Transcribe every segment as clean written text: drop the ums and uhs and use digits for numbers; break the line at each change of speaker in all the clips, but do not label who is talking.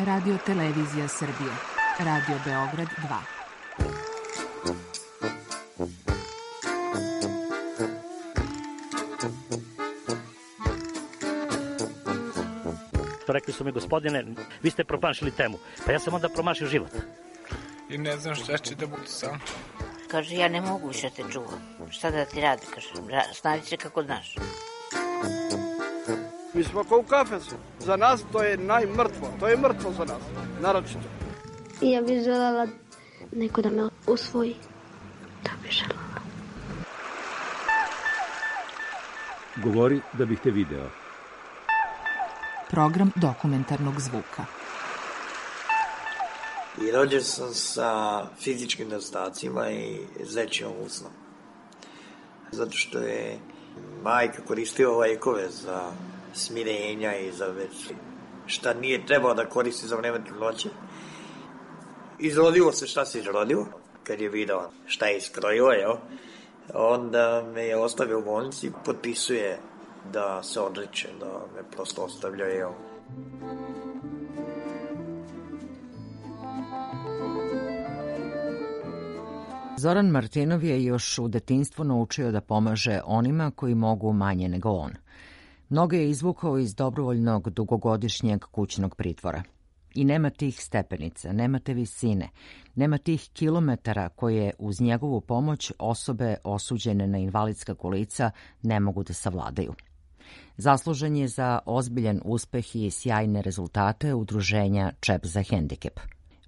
Radio Televizija Srbije. Radio Beograd 2.
Rekli su mi, gospodine, vi ste promašili temu. Pa ja sam onda promašio život.
I ne znam šta će da budu sam.
Kaže, ja ne mogu više te čuvam. Šta da ti radi? Kaže, snađi se kako znaš.
Mi smo kao u kafesu. Za nas to je najmrtvo. To je mrtvo za nas. Naročito.
Ja bih želela neko da me usvoji. Da bih želela.
Govori da bih te video.
Program dokumentarnog zvuka.
I rođen sam sa fizičkim nedostacima i zečijom usnom. Zato što je majka koristila lekove za smirenja i za već šta nije trebalo da koristi za vreme trudnoće. Izrodilo se šta se izrodilo. Kad je video šta je iskrojilo, onda me je ostavio u bolnici i potpisuje da se odreće, da me prosto ostavlja.
Zoran Martinov je još u detinjstvu naučio da pomaže onima koji mogu manje nego on. Mnoge je izvukao iz dobrovoljnog dugogodišnjeg kućnog pritvora. I nema tih stepenica, nema te visine, nema tih kilometara koje uz njegovu pomoć osobe osuđene na invalidska kolica ne mogu da savladaju. Zaslužen je za ozbiljan uspeh i sjajne rezultate udruženja Čep za hendikep.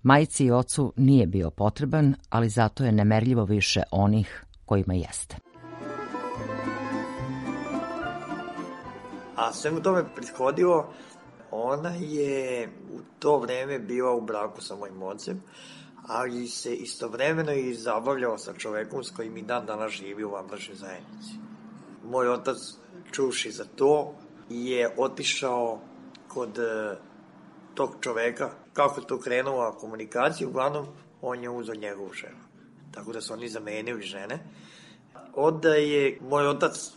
Majci i ocu nije bio potreban, ali zato je nemerljivo više onih kojima jeste.
A svemu tome prethodilo, ona je u to vreme bila u braku sa mojim ocem, ali se istovremeno i zabavljao sa čovekom s kojim i dan danas živi u vanbračnoj zajednici. Moj otac, čuši za to, je otišao kod tog čoveka. Kako je to krenula komunikacija, uglavnom on je uzeo njegovu ženu. Tako da su oni zamenili žene. Onda je moj otac,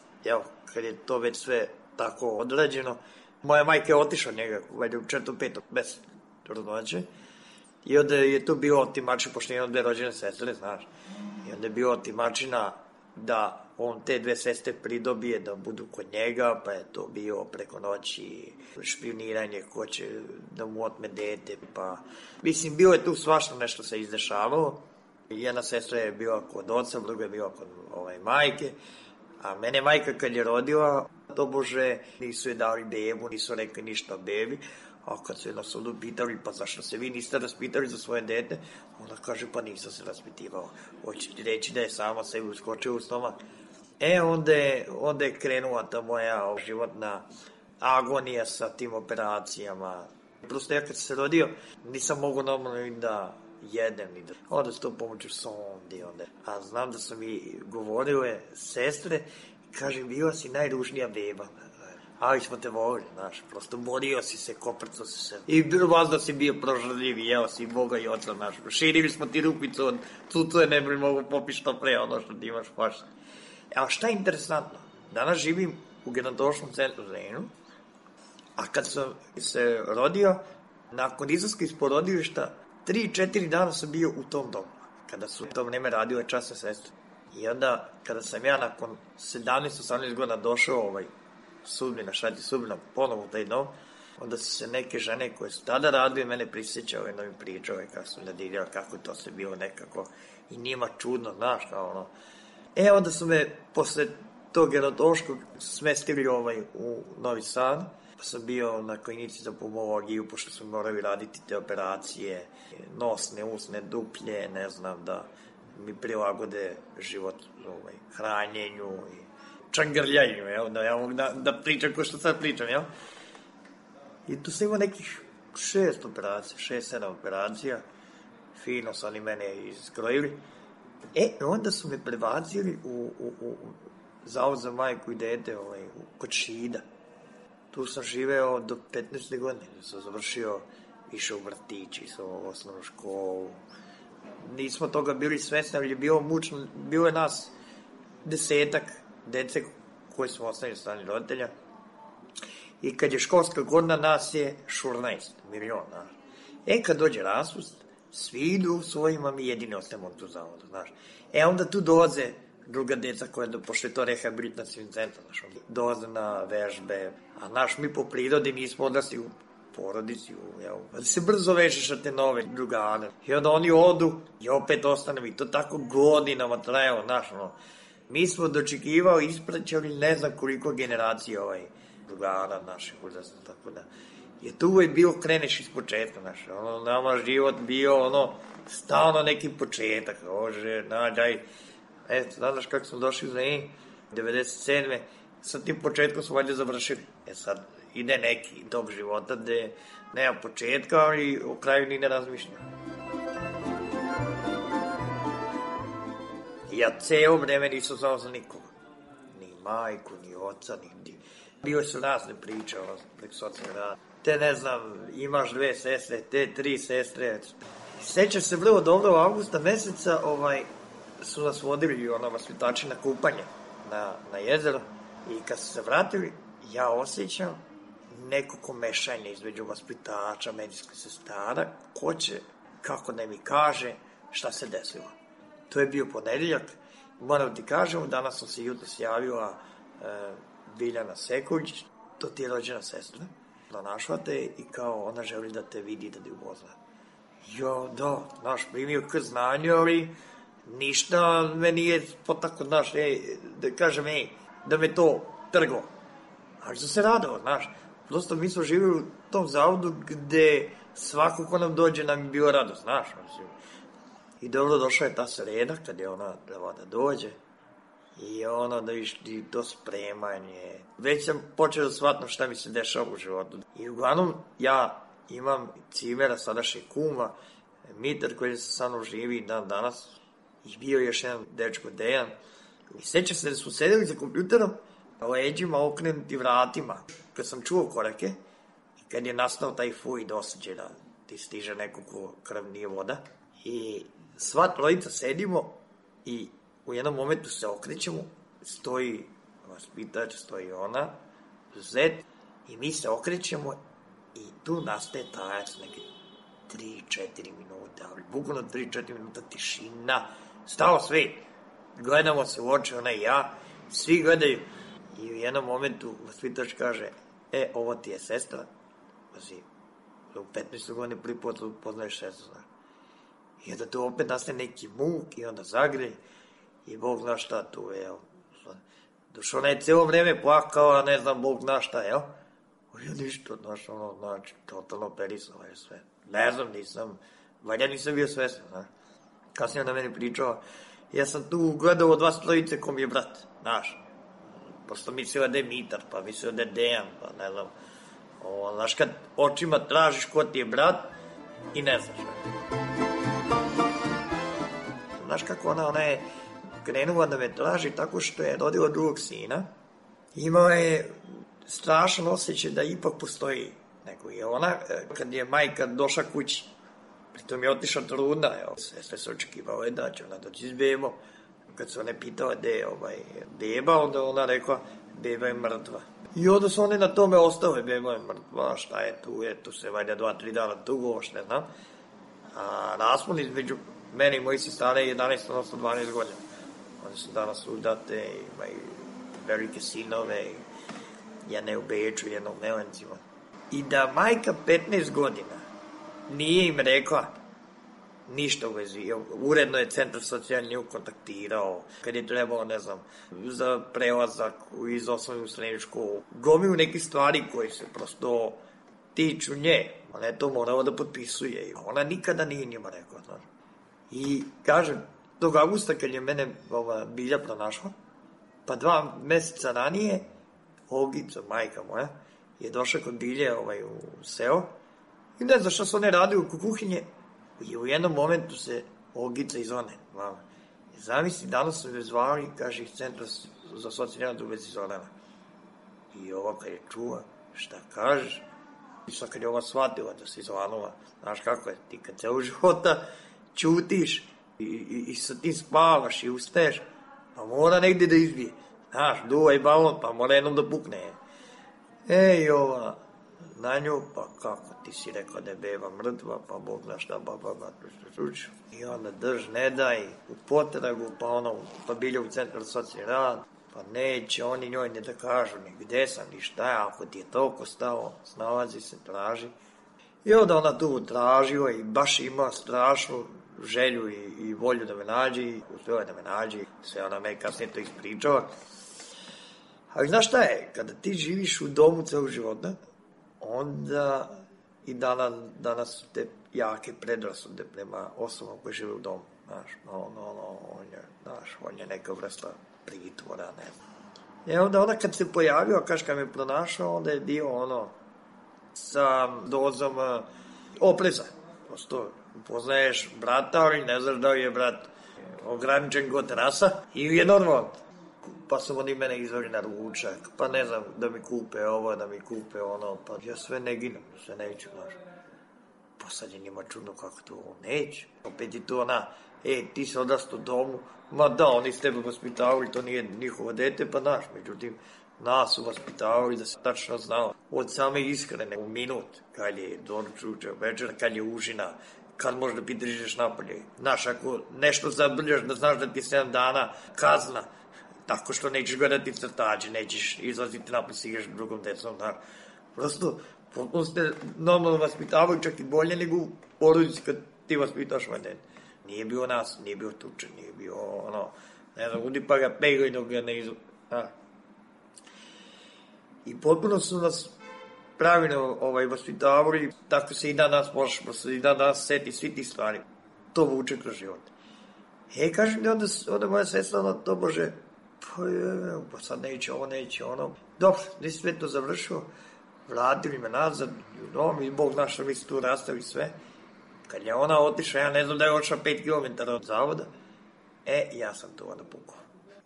kad je to već sve tako odrađeno, moja majka je otišla njega, valjda u 4-5 bez trudnoće. I onda je to bilo otimačina, pošto je dve rođene sestre, znaš. I onda je bilo otimačina da on te dve sestre pridobije da budu kod njega, pa je to bio preko noći špioniranje, ko će da mu otme dete, pa... Mislim, bilo je tu svašta nešto se izdešavalo. Jedna sestra je bila kod oca, druga je bila kod majke, a mene majka kad je rodila, tobože nisu je dali bebu, nisu rekli ništa o bebi, a kad su je na sudu pitali, pa zašto se vi niste raspitali za svoje dete, ona kaže, pa nisam se raspitivao. Hoće reći da je sama sebi uskočila u stomak. Onda je krenula ta moja životna agonija sa tim operacijama. Prosto ja kad se rodio, nisam mogu normalno da jedem, ni da... Onda se to pomoću sondi, a znam da su mi govorile sestre, kažem, bila si najružnija beba. Ali smo te volili, znaš, prosto borio si se, koprcao si se. I vazda si bio prožrljiv, jeo si Boga i oca, znaš. Širili smo ti rupicu od cucuje, ne bi mogu popiti što pre, ono što ti imaš pašta. A šta je interesantno? Danas živim u gerontološkom centru Zrenju, a kad sam se rodio, nakon izlaska iz porodilišta, 3-4 dana sam bio u tom domu, kada su u to vreme radile časne sestre. I onda, kada sam ja nakon 17-18 godina došao sudbina, šati sudbina, ponovo u taj dom, onda su se neke žene koje su tada radile mene prisjećale, da mi pričale kako su nadiljale, kako to se bilo nekako i njima čudno, znaš, kao ono. Onda su me posle tog gerontološkog smestili u Novi Sad, pa sam bio na klinici za pulmologiju, pošto smo morali raditi te operacije, nosne, usne, duplje, ne znam, da mi prilagode život hranjenju i čak grljanju, da ja mogu da pričam ko što sad pričam, I tu sam imao nekih 6-7 operacija, fino su oni mene iskrojili. Onda su me prebacili u zavod za majku i dete kod Šida. Tu sam živeo do 15. godine, sam završio, išao u vrtić, išao u osnovnu školu. Nismo toga bili svesni, ali je bilo mučno, bilo je nas 10 dece koji smo ostavili strani roditelja. I kad je školska godina, nas je 14 miliona. Kad dođe raspust, svi idu svojima, mi jedini ostajemo tu zavodu, znaš. Onda tu dolaze druga deca koja, pošto je to rehabilitacijni centar, znaš, dolaze na vežbe, a naš, mi po prirodi nismo odrasli u porodici, da se brzo vežeš na te nove drugane. I onda oni odu i opet ostane, i to tako godinama trajalo, znaš, mi smo dočekivali, ispraćali ne znam koliko generacija drugara naših uzrasta, tako da. Je tu uvijek bilo, kreneš iz početka, znaš, nama život bio, stalno neki početak, nađaj, znaš kako smo došli za 97. Sa tim početkom smo valjda završili. Sad ide neki dob života gde nema početka, ali u kraju ni ne razmišljam. Ja ceo vreme nisam znao za nikoga. Ni majku, ni oca, ni... Bilo su razne priče, preko socijalne rada. Te, ne znam, imaš 2 sestre, te 3 sestre. Sećam se vrlo dobro, u avgusta meseca su nas vodili vaspitači na kupanje na jezero. I kad su se vratili, ja osjećam neko komešanje između vaspitača, medicinskih sestara, ko će, kako da mi kaže šta se desilo. To je bio ponedeljak. Moram ti kažem, danas sam se jutro javila Biljana Sekulić, to ti je rođena sestra, pronašla te i kao ona želi da te vidi, da ti upozna. Da, znaš, primio k znanju, ali ništa me nije potako, znaš, da kažem, da me to trgo. Ali sam se radao, znaš, prosto mi smo živjeli u tom zavodu gde svako ko nam dođe nam je bio radost, znaš, i dobro došla je ta sreda kad je ona trebala da dođe i da išli to spremanje. Već sam počeo da shvatam šta mi se dešava u životu. I uglavnom ja imam cimera, sadašnjeg kuma, Mitar koji sa mnom živi dan danas i bio još jedan dečko Dejan. I sećam se da smo sedeli za kompjuterom, leđima okrenuti vratima. Kad sam čuo korake i kad je nastao taj fuj dosađe da ti stiže neko ko krv nije voda i sva trojica sedimo i u jednom momentu se okrećemo, stoji vaspitač, stoji ona, zet, i mi se okrećemo i tu nastaje tajac neke 3-4 minuta, ali bukvalno 3-4 minuta tišina, stao svet, gledamo se u oči, ona i ja, svi gledaju i u jednom momentu vaspitač kaže, ovo ti je sestra, pazi, u 15. godine prvi put poznaješ sestru, znaš. I onda tu opet nastaje neki muk i onda zagrej i Bog zna šta tu je, Došao ona je cijelo vreme plakala, ne znam, Bog zna šta, Ja ništa, znaš, znači, totalno operisala je sve. Ne znam, valja nisam bio svestan, znaš. Kasnije na meni pričala, ja sam tu gledao od vas trojice ko mi je brat, znaš. Prosto mislila da je Mitar, pa mislila da je Dejan, pa ne znam. Znaš, kad očima tražiš ko ti je brat i ne znaš. Znaš kako ona je krenula da me traži tako što je rodila drugog sina. Imala je strašan osjećaj da ipak postoji neko. I ona, kad je majka došla kući, pritom je otišla trudna, sve se očekivalo da će ona doći s bebom. Kad se ona pitala gde je beba, onda ona rekla, beba je mrtva. I onda su one na tome ostale, beba je mrtva, šta je tu se valjda 2-3 dana dugo, ne znam. A raspon između mene i moji sestara je 11, odnosno 12 godina. One su danas udate, imaju velike sinove, jedna je u Beču, jedna u Melencima. I da majka 15 godina nije im rekla ništa u vezi. Uredno je centar socijalni nju kontaktirao, kad je trebalo, ne znam, za prelazak iz osnovne u srednju školu. Gomilu neke stvari koje se prosto tiču nje. Ona je to morala da potpisuje. Ona nikada nije njima rekla, znaš. I kažem, tog avgusta kad je mene Bilja pronašla, pa 2 meseca ranije, Olgica, majka moja, je došla kod Bilje u seo i ne znam šta su one radili u kuhinje i u jednom momentu se Olgica iz one, mama. Zamisli, danas su me zvali, kaže iz centra za socijalnu rad u vezi Zorana. I ova kad je čuva, šta kažeš? I sad kad je ova shvatila da si Zoranova, znaš kako je, ti kad ceo života ćutiš i sa tim spavaš i ustaješ, pa mora negdje da izbije. Znaš, duvaj balon, pa mora jednom da pukne. Ej, ova, na nju, pa kako ti si rekao da je beba mrtva, pa Bog zna šta, i onda drž, ne daj, u potragu, pa bilje u centru socijalni rad, pa neće oni njoj ne da kažu ni gde sam, ni šta je, ako ti je toliko stao, snalazi se, traži. I onda ona tu tražila i baš ima strašnu želju i volju da me nađe, i uspjela da me nađe, sve ona me kasnije to ispričala. Ali znaš šta je, kada ti živiš u domu celog života, onda i danas su te jake predrasude prema osobama koje žive u domu, znaš, on je neka vrsta pritvora, ne znam. I onda ona kad se pojavio, kad me pronašao, onda je bio sa dozom opreza. Prosto upoznaješ brata, ali ne znaš da je brat ograničen god rasa ili je normalno. Pa su oni mene izveli na ručak, pa ne znam, da mi kupe ovo, da mi kupe ono, pa ja sve ne ginem, sve neću, znaš. Pa sad je njima čudno kako to neće. Opet je to ti si odrastao u domu, ma da, oni s tebe vaspitavali, to nije njihovo dete, pa znaš, međutim, nas su vaspitavali da se tačno znao od same ishrane u minut, kad je doručak, večer, kad je užina, kad možda pitaš ideš napolje. Znaš, ako nešto zabrljaš, da znaš da ti 7 dana kazna, tako što nećeš gledati crtače, nećeš izlaziti napolje, si igraš drugom decom, znaš. Prosto, potpuno ste normalno vaspitavali, čak i bolje nego u porodici kad ti vaspitaš ovaj dete. Nije bio nas, nije bio tučen, nije bio ne znam, udi pa ga pegaj dok ga ne izvu. I potpuno su nas pravilno vaspitavali, tako se i danas možeš, i danas seti svi ti stvari. To vuče kroz život. Kažem da onda moja sestra, to bože, pa sad neće ono. Dobro, nisi sve to završio, vratili me nazad, i Bog zna što mi se tu rastavi sve. Kad je ona otišla, ja ne znam da je otišla 5 km od zavoda, ja sam tu onda pukao.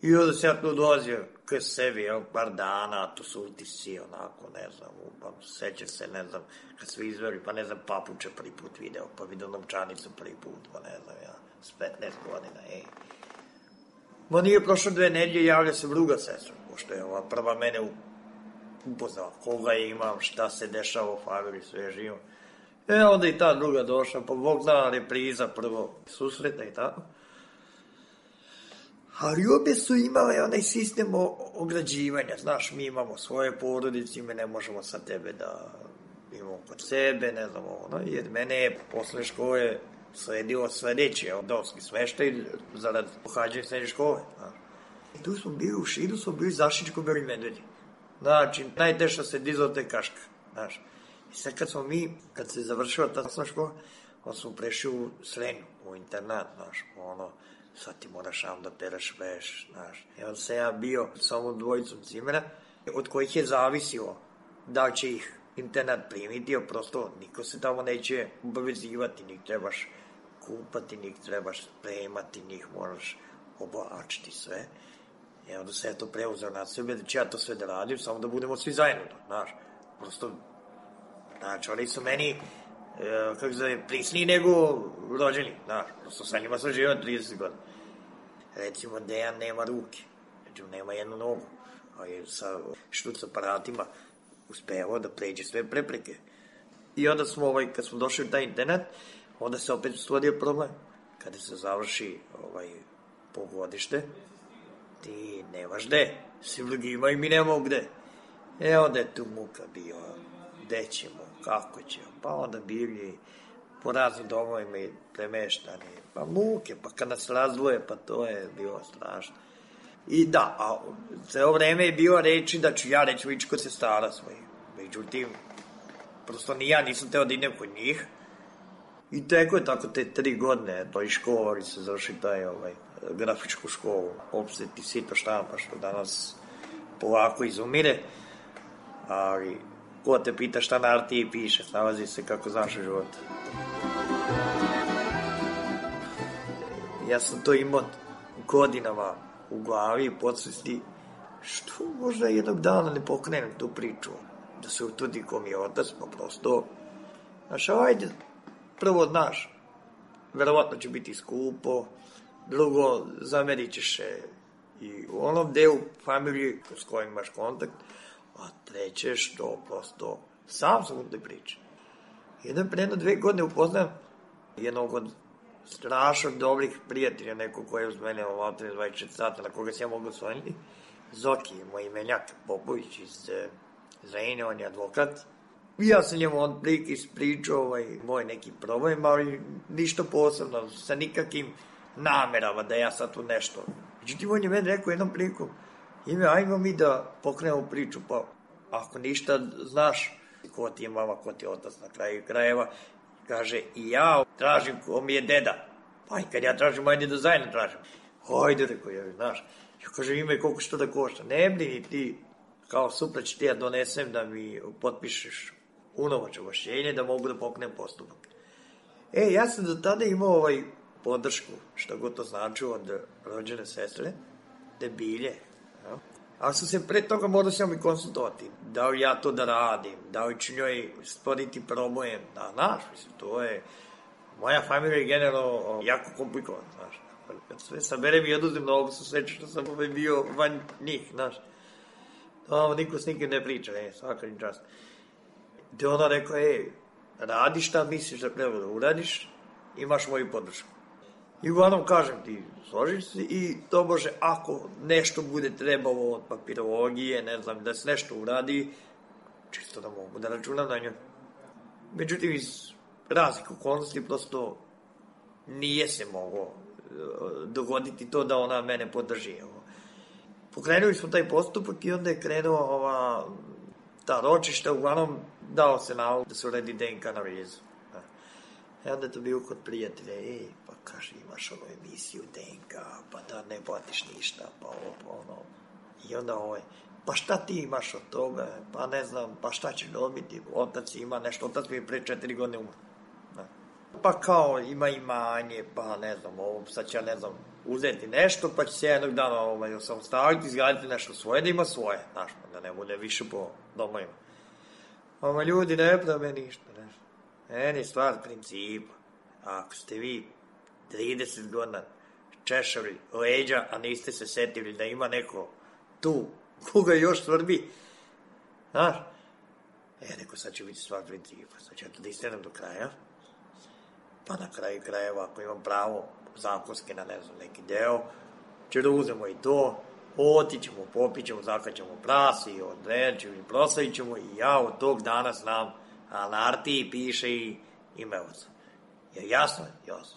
I onda se ja tu dolazio k sebi, par dana, to su utisci, onako, ne znam, seća se, ne znam, kad su izveli, pa ne znam, papuče prvi put video, pa vidio novčanicu prvi put, pa ne znam, ja, s 15 godina, Ma nije prošlo 2 nedelje, javlja se druga sestra, pošto je ova prva mene upoznala, koga je imam, šta se dešava u familiji, sve živo. Onda i ta druga došla, pa Bog zna repriza prvo susreta i tako. Ali obje su imale onaj sistem ograđivanja, znaš, mi imamo svoje porodice, mi ne možemo sa tebe da imamo kod sebe, ne znam, jer mene je posle škole sledilo sledeće, domski smeštaj, zarad pohađanja srednje škole, znaš. I tu smo bili u Šidu, smo bili Zašičko Beli Medvedi. Znači, najteša se dizala te kaška, znaš. I sad kad se završila ta osnovna škola, onda smo prešli u Srenju, u internat, znaš, sad ti moraš da pereš veš, znaš. I onda sam ja bio sa ovom dvojicom cimera, od kojih je zavisilo da će ih internat primiti, jer prosto niko se tamo neće obavezivati, njih trebaš kupati, njih trebaš spremati, njih moraš oblačiti sve. I onda sam ja to preuzeo na sebe, da ću ja to sve da radim, samo da budemo svi zajedno, znaš. Prosto, znači, oni su meni, prisniji nego rođeni, znaš, prosto sa njima sam živio 30 godina. Recimo, Dejan nema ruke, znači, nema jednu nogu, a je sa štuc aparatima uspevao da pređe sve prepreke. I onda smo, kad smo došli u taj internat, onda se opet stvorio problem. Kada se završi polugodište, ti nemaš gde, svi drugi imaju, mi nemamo gde. Onda je tu muka bio, gde ćemo, kako ćemo, pa onda bili po raznim domovima i premeštani, pa muke, pa kad nas razdvoje, pa to je bilo strašno. I da, a ceo vreme je bilo reči da ću ja reći ići kod sestara svojih. Međutim, prosto ni ja nisam teo da idem kod njih. I teko je tako te 3 godine, to i škola, se završi taj grafičku školu, opset i sito štampa, što danas polako izumire, ali ko te pita šta na Artiji piše, snalazi se kako znaš u životu. Ja sam to imao godinama u glavi i podsvesti, što možda jednog dana ne pokrenem tu priču, da se utvrdi ko mi je otac, pa prosto, znaš, ajde, prvo, znaš, verovatno će biti skupo, drugo, zamerit ćeš i u onom delu familije s kojim imaš kontakt, a treće što prosto Sam sam u toj priči. Jedan pre 2 godine upoznam jednog od strašno dobrih prijatelja, neko koji je uz mene ovatio 24 sata, na koga se ja mogu osvojiti. Zoki, moj imenjak Popović iz Zrenjanina, on je advokat. I ja sam njemu on prilike ispričao moj neki problem, ali ništa posebno, sa nikakvim namerama da ja sad tu nešto. Međutim, on je meni rekao jednom priliku, ajmo mi da pokrenemo priču, pa ako ništa znaš ko ti je mama, ko ti je otac na kraju krajeva, kaže, i ja tražim ko mi je deda. Pa i kad ja tražim, ajde da zajedno tražim. Hajde, rekao ja, znaš. Ja kažem, ima koliko što da košta. Ne brini ti, kao sutra ću ti ja donesem da mi potpišeš unovač obašćenje da mogu da pokrenem postupak. Ja sam do tada imao podršku, što god to znači, od rođene sestre, debilje. Ja. Ali sam se pre toga morao s njom i konsultovati. Da li ja to da radim, da li ću njoj stvoriti problem. Znaš, mislim, to je... Moja familija je generalno jako komplikovana, znaš. Kad sve saberem i oduzim mnogo su sveće što sam bio van njih, znaš. Niko s nikim ne priča, svaka im čast. Gde ona rekao, radi šta misliš da treba da uradiš, imaš moju podršku. I uglavnom kažem ti, složiš se i to može, ako nešto bude trebalo od papirologije, ne znam, da se nešto uradi, čisto da mogu da računam na nju. Međutim, iz raznih okolnosti prosto nije se moglo dogoditi to da ona mene podrži. Pokrenuli smo taj postupak i onda je krenuo ta ročišta, uglavnom dao se nalog da se uredi DNK analizu. I onda je to bio kod prijatelja, pa kaže, imaš ovu emisiju DNK, pa da ne platiš ništa, pa ovo, pa ono. I onda pa šta ti imaš od toga, pa ne znam, pa šta ćeš dobiti, otac ima nešto, otac mi je pre 4 godine umro. Pa kao ima imanje, pa ne znam, sad će ja ne znam, uzeti nešto, pa će se jednog dana osamostaliti, izgraditi nešto svoje, da ima svoje, znaš, da ne bude više po domovima. Ljudi ne prave ništa, znaš. Meni je stvar principa. Ako ste vi 30 godina češali leđa, a niste se setili da ima neko tu, koga još svrbi, znaš, neko sad će biti stvar principa, sad ću ja to da istenem do kraja, pa na kraju krajeva, ako imam pravo zakonski na, ne znam, neki deo, će da uzemo i to, otićemo, popićemo, zakaćemo prasi, odrećemo i proslavit ćemo i ja od tog dana znam, a na Artiji piše i ime oca. Jasno,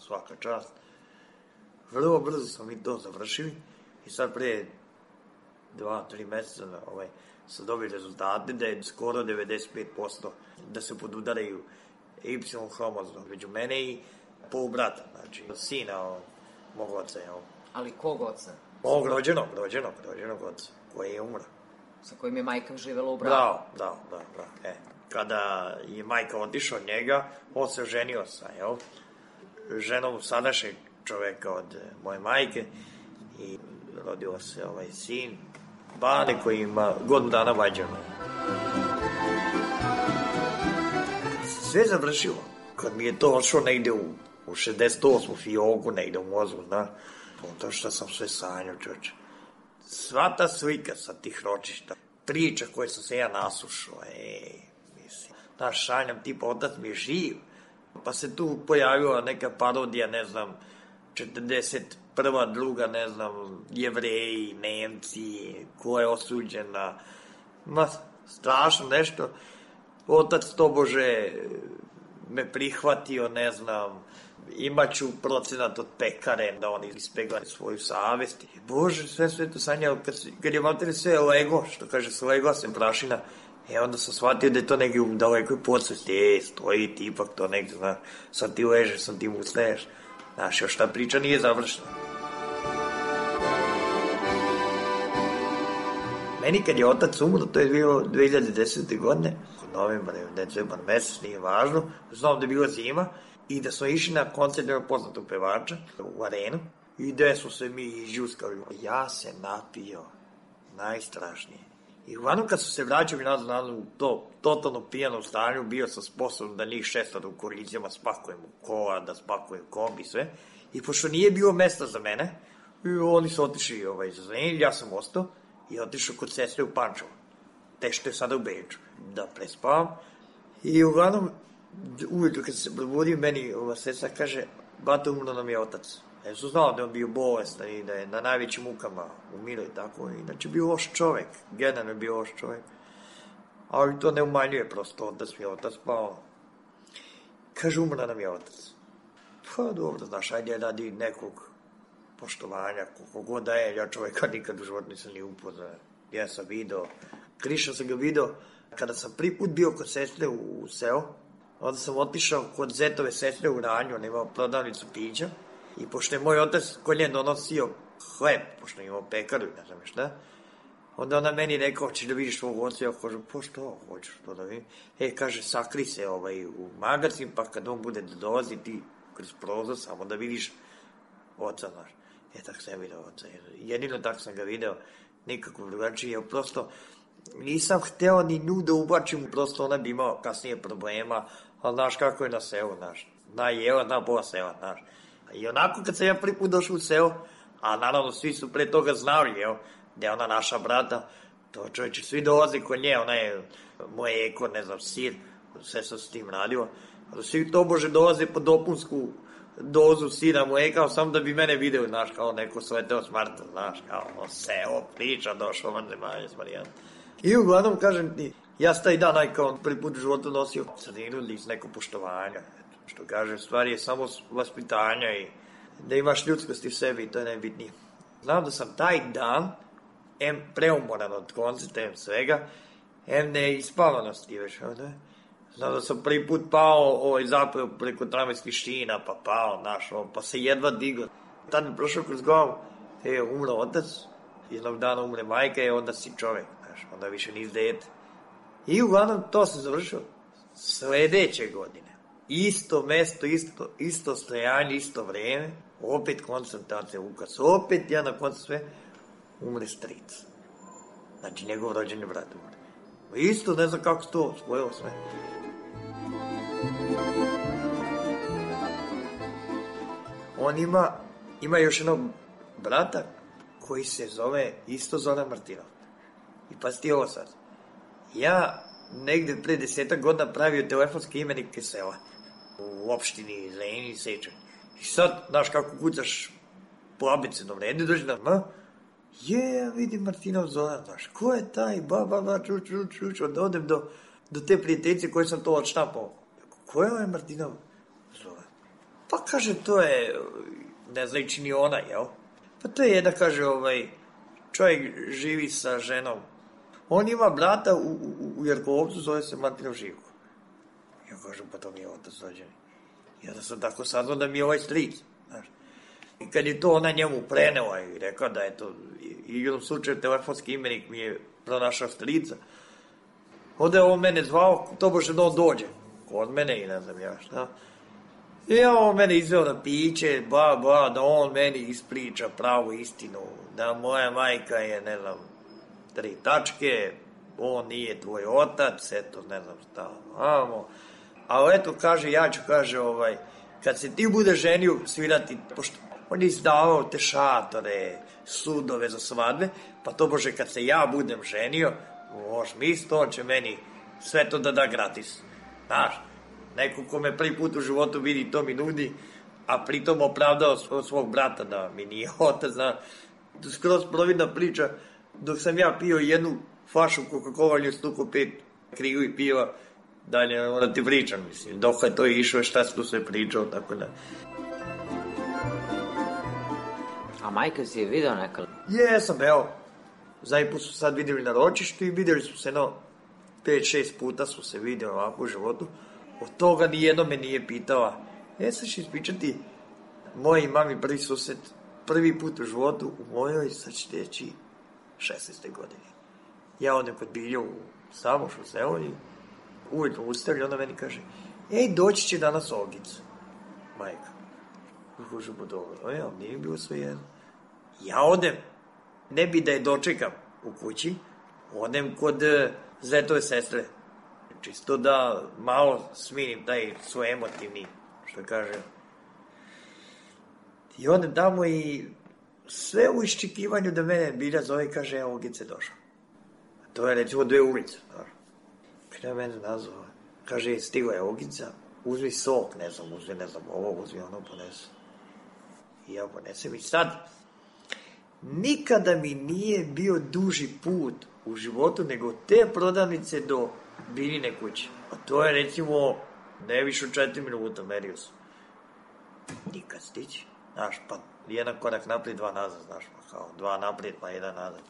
svaka čast. Vrlo brzo smo mi to završili i sad pre 2-3 meseca su dobili rezultate da je skoro 95% da se podudaraju Y hromozom među mene i polubrata, znači sina mog oca.
Ali kog oca?
Mog rođenog oca, koji je umro.
Sa kojim je majka živela u braku?
Da. Kada je majka otišla od njega, on se ženio sa ženom sadašnjeg čoveka od moje majke i rodio se sin Bane koji ima godinu dana vađano. Sve završilo. Kad mi je to odšlo negde u 68. fioku, negde u mozgu, znaš, to što sam sve sanjao, čoče. Sva ta slika sa tih ročišta, priča koje sam se ja naslušao, mislim, znaš, sanjam, tipa, otac mi je živ, pa se tu pojavila neka parodija, ne znam, 41. druga, ne znam, Jevreji, Nemci, ko je osuđena, strašno nešto. Otac tobože me prihvatio, ne znam, imaću procenat od pekare, da oni ispegla svoju savest. Bože, sve to sanjao, kad je mater sve lego, što kaže se lego, sem prašina, onda sam shvatio da je to negdje u dalekoj podsvesti, stoji ti ipak to negdje, znaš, sad ti ležeš, sad ti mu ustaješ, znaš, još ta priča nije završena. Meni kad je otac umro, to je bilo 2010. godine, novembar, decembar mesec, nije važno, znam da je bila zima i da smo išli na koncert jednog poznatog pevača u arenu i gde smo se mi izđuskali. Ja se napio, najstrašnije. I uglavnom kad su se vraćali nazad u to totalno pijano stanju, bio sam sposoban da njih 600 u koalicijama spakujem u kola, da spakujem kombi, sve. I pošto nije bilo mesta za mene, oni su otišli za Zrenjanin, ja sam ostao i otišao kod sestre u Pančevo, te što je sada u Beču, da prespavam. I uglavnom, uvijek kad se probudio, meni ova sestra kaže, bata, umro nam je otac. Ja su znao da je on bio bolestan i da je na najvećim mukama umirao i tako. Inače, bio loš čovek, generalno je bio loš čovek. Ali to ne umanjuje prosto, otac mi je otac, pa kaže, umro nam je otac. Pa dobro, znaš, ajde radi nekog poštovanja, koliko god da je, ja čoveka nikad u životu nisam ni upoznao. Ja sam video, Kriša sam ga video, kada sam prvi put bio kod sestre u seo, onda sam otišao kod zetove sestre u Ranju, on imao prodavnicu pića, i pošto je moj otac kod nje donosio hleb, pošto je imao pekaru i ne znam šta, onda ona meni rekao, hoćeš da vidiš svog oca, ja kažem, pa što, hoćeš to da vidim? Kaže, sakri se u magazin, pa kad on bude da dolazi, ti kroz prozor samo da vidiš oca, znaš. Tako sam video oca, jedino tako sam ga video, nikako drugačije, jer prosto nisam hteo ni nju da ubačim, prosto ona bi imao kasnije problema, ali znaš kako je na selu, znaš, zna jela, zna pola sela, znaš. I onako kad sam ja prvi put došao u selo, a naravno svi su pre toga znali, da je ona naša brata, to čovječe, svi dolaze kod nje, ona je moje eko, ne znam, sir, sve sam s tim radio, ali svi to bože dolaze po dopunsku dozu sira mleka, sam da bi mene video, znaš, kao neko sleteo s Marta, znaš, kao seo, priča, došao vanzemanje s Marijana. I uglavnom, kažem ti, ja sam taj dan, kao prvi put u životu nosio sredinu iz neko poštovanja, što kaže, stvari je samo vaspitanja i da imaš ljudskosti u sebi, to je najbitnije. Znam da sam taj dan, preumoran od koncerta, svega, neispavanosti već, ne? Znam da sam prvi put pao zapravo preko tramvajskih šina, pa pao, znaš, pa se jedva digao. Tad mi prošao kroz glavu, umro otac, jednog dana umre majka i onda si čovek, znaš, onda više nisi dete. I uglavnom to se završilo sledeće godine. Isto mesto, isto stojanje, isto vreme, opet koncentracija Lukas, opet ja na koncu sve, umre stric. Znači, njegov rođeni brat umre. Isto, ne znam kako se to spojilo sve. On ima još jednog brata koji se zove isto Zoran Martinov. I pa ti ovo sad. Ja negde pre 10 godina pravio telefonske imenike sela u opštini Zrenjanin, Sečanj. I sad, znaš kako kucaš po abecednom redu, dođe na vidim Martinov Zoran, znaš, ko je taj, čuč, onda odem do te prijateljice koje sam to odštapao. Ko je ovaj Martinov Zoran? Pa kaže, to je, ne znajući ni ona, jel? Pa to je jedna, kaže, čovjek živi sa ženom. On ima brata u Jerkovcu, zove se Martinov Živko. Ja kažem, pa to mi je otac rođeni. I onda sam tako saznao da mi je ovaj stric, znaš. I kad je to ona njemu prenela i rekao da je to, i u jednom slučaju telefonski imenik mi je pronašao strica, onda je on mene zvao, to bože da on dođe kod mene i ne znam ja šta. I on mene izveo na piće, da on meni ispriča pravu istinu, da moja majka je, ne znam, 3 tačke, on nije tvoj otac, eto, ne znam šta, ali eto, kaže, ja ću, kaže, kad se ti bude ženio svirati, pošto on je izdavao te šatore, sudove za svadbe, pa to bože, kad se ja budem ženio, možeš misli, on će meni sve to da gratis. Znaš, neko ko me prvi put u životu vidi, to mi nudi, a pritom opravdao svog brata da mi nije otac, znaš. Skroz providna priča, dok sam ja pio jednu flašu Coca-Cola, nju stuko 5 krigu i piva, dalje da ti pričam, mislim, dok je to išlo, šta se tu sve pričao, tako da.
A majka si je video nekada?
Jesam, evo, zadnji put su sad vidjeli na ročištu i vidjeli su se 5-6 puta su se vidjeli ovako u životu. Od toga nijedno me nije pitala, sad ću ispričati moj mami prvi susret, prvi put u životu u mojoj, sad će teći 16. godine. Ja odem kod Bilja u Samošu selo i uvijek mu ustavlja, onda meni kaže, doći će danas Olgica, majka. Kažu, pa dobro, nije bilo sve jedno. Ja odem, ne bi da je dočekam u kući, odem kod zetove sestre, čisto da malo smirim taj svoj emotivni, što kaže. I odem tamo i sve u iščekivanju da mene Bilja zove i kaže, Olgica je došla. To je recimo 2 ulice. Kada je mene nazvao, Kaže, stigla je Ogica, uzmi sok, ne znam, ovo, uzmi ono, ponesi. I ja ponesem i sad, nikada mi nije bio duži put u životu nego te prodavnice do Biljine kuće. A to je, recimo, ne više od 4 minuta, merio sam. Nikad stići. Znaš, pa jedan korak naprijed, 2 nazad, znaš, pa kao 2 naprijed, pa 1 nazad.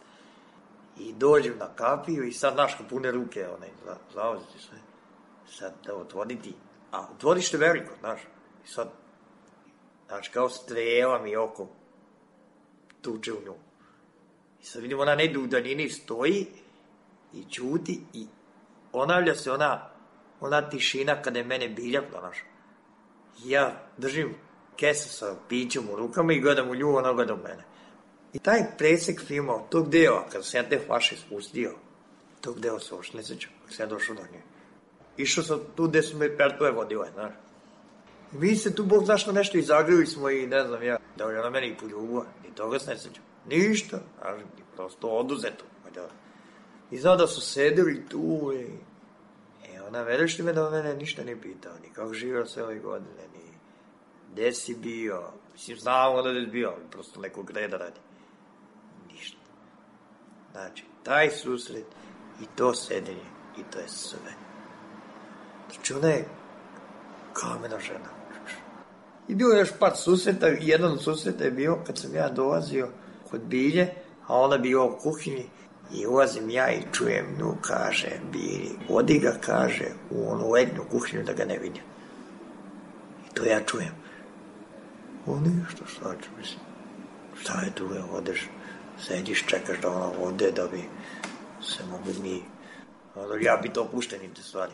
I dođem na kapiju i sad, znaš, pune ruke, zauzeti sve. Sad da otvoriti, a otvorište veliko, znaš, i sad, znaš, kao strela mi oko tuče u nju. I sad vidim, ona negdje u daljini stoji i čuti i ponavlja se ona tišina kada je mene Bilja pronašao. Ja držim kesu sa pićem u rukama i gledam u nju, ona gleda u mene. I taj presek filma od tog dela, kada sam ja te flaše spustio, tog dela se uopšte ne sećam, kada sam ja došao do nje. Išao sam tu gde su me pertove vodile, znaš. Mi se tu, Bog znaš, nešto izagrili smo i ne znam ja, da je ona mene i poljubila, ni toga se ne sećam. Ništa, znaš, prosto oduzeto. I znao da su sedeli tu i... ona veriš li me da mene ništa ne pitao, ni kako živio sve ove godine, ni gde si bio, mislim, znamo da je bio, ali prosto nekog reda radi. Ništa. Znači, taj susret i to sedenje, i to je sve. Znači, ona je kamena žena. I bilo je još par susreta, jedan od susreta je bio kad sam ja dolazio kod Bilje, a ona bila u kuhinji, i ulazim ja i čujem nju, kaže Bilji, odi ga, kaže, u onu letnju kuhinju da ga ne vidim. I to ja čujem. O ništa, šta ću, mislim, šta je tu, odeš, sediš, čekaš da ona ode, da bi se mogli mi, ja bi to opuštenim te stvari.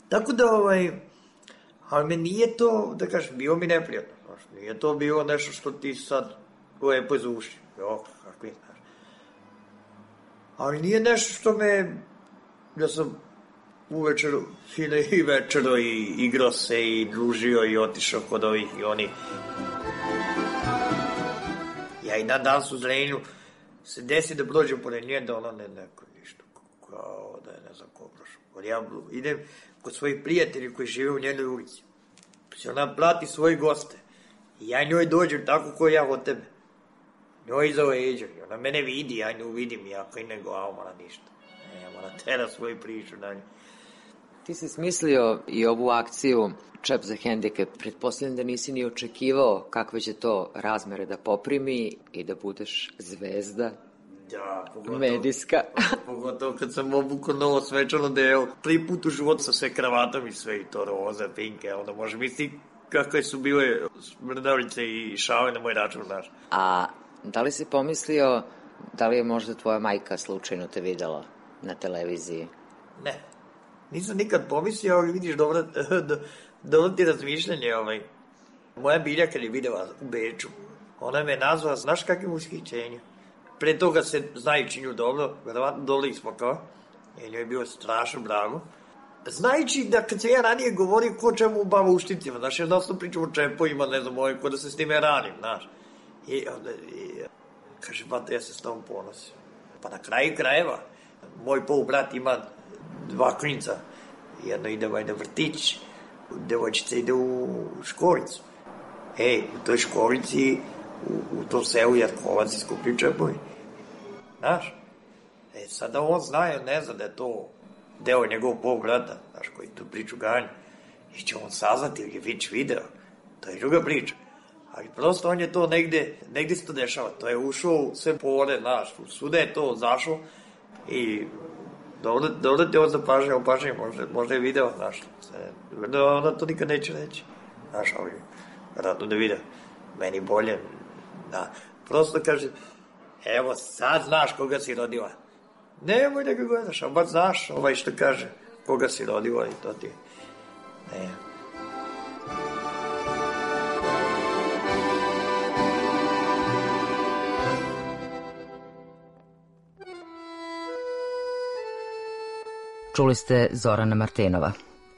Tako da, ali me nije to, da kažem, bilo mi neprijatno, znaš, nije to bilo nešto što ti sad lepo izvuši, kakvi, znaš. Ali nije nešto što me, ja sam uvečer, fino i večero i igrao se i družio i otišao kod ovih i oni. Ja i na danas u Zrenju se desi da prođem pored nje, da ona neko ništa, kao da je ne znam ko prošao. Ja idem kod svojih prijatelji koji žive u njenoj ulici. Se ona prati svoje goste. I ja njoj dođem tako ko ja od tebe. Njoj iza leđa. Ona mene vidi, ja nju vidim. Ja koji ne glavom, ona ništa. Ona tera svoju priču dalje.
Ti si smislio i ovu akciju Čep za hendikep. Pretpostavljam da nisi ni očekivao kakve će to razmere da poprimi i da budeš zvezda.
Da,
medijska.
Pogotovo kad sam obukao novo svečano delo. Prvi put u životu sa sve kravatom i sve, i to roza, pinke, onda može misliti kakve su bile smrdavlice i šale na moj račun, znaš.
A da li si pomislio, da li je možda tvoja majka slučajno te videla na televiziji?
Ne, nisam nikad pomislio, ali vidiš, dobro ti razmišljanje, Moja Bilja kad je videla u Beču, ona me nazvala, znaš kakvim ushićenjem. Pre toga se znajući nju dobro, verovatno dobro ispakao, jer njoj je bilo strašno bravo. Znajući da kad se ja ranije govorio ko čemu u bavaušticima, znaš, jednostavno pričam o čepovima, ne znam, ko da se s time ranim, znaš. I onda, kaže, bata, ja se s tom ponosim. Pa na kraju krajeva, moj polubrat ima 2 klinca, jedno ide na vrtić, devojčica ide u školicu. U toj školici, u tom selu Jarkovac i skupljaju čepovi. Znaš? Sada on zna, ne zna da je to deo njegovog polubrata, znaš, koji tu priču ganja. I će on saznati ili je već video. To je druga priča. Ali prosto on je to negdje se to dešava. To je ušao sve pore, znaš, svuda je to zašao i dobro te ovo zapažnje, možda je video, znaš. Ona to nikad neće reći. Znaš, ali vjerojatno da video. Meni bolje, da. Prosto kaže, evo sad znaš koga si rodila. Nemoj da ga gledaš, a baš znaš što kaže, koga si rodila i to ti je. Ne.
Čuli ste Zorana Martinova.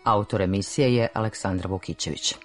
Autor emisije je Aleksandra Vukićević.